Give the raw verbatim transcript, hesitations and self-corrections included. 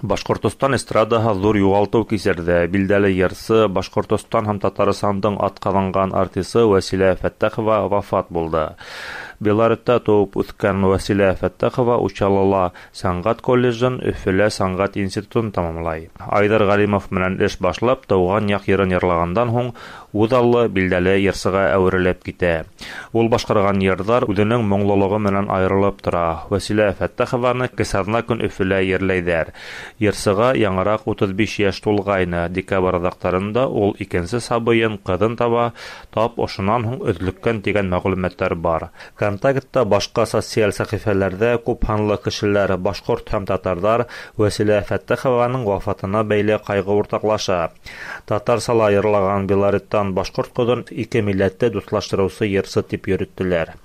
Башҡортостан эстрадаһы ҙур юғалтыу кисерҙе. Билдәле йырсы, Башҡортостан һәм Татарстандың атҡаҙанған артисы Вәсилә Фәттәхова вафат булды. Белоретта тыуып үҫкән Вәсилә Фәттәхова Учалыла сәнғәт колледжын, Өфөлә сәнғәт институтын тамамлай. Айҙар Ғәлимов менән эш башлап, тыуған яҡ йырын йырлағандан һуң үҙаллы билдәле йырсыға әүерелеп китә. Ул башҡарған йырҙар үҙенең моңлолоғо менән айырылып тора. Вәсилә Фәттәхованы кесаҙна көн Өфөлә ерләйҙәр. Йырсыға яңыраҡ утыҙ биш йәш тулғайны. Декабрь аҙаҡтарында ул икенсе сабыйын, ҡыҙын таба, тап ошонан һуң өҙлөккән тигән мәғлүмәттәр бар. Контактта башҡа социаль сәхифәләрҙә күп һанлы кешеләр, башҡорт һәм татарҙар Вәсилә Фәттәхованың вафатына бәйле ҡайғы уртаҡлаша. Татарсала йырлаған Белореттан башҡорт ҡыҙын ике милләтте дуҫлаштырыусы йырсы тип йөрөттөләр.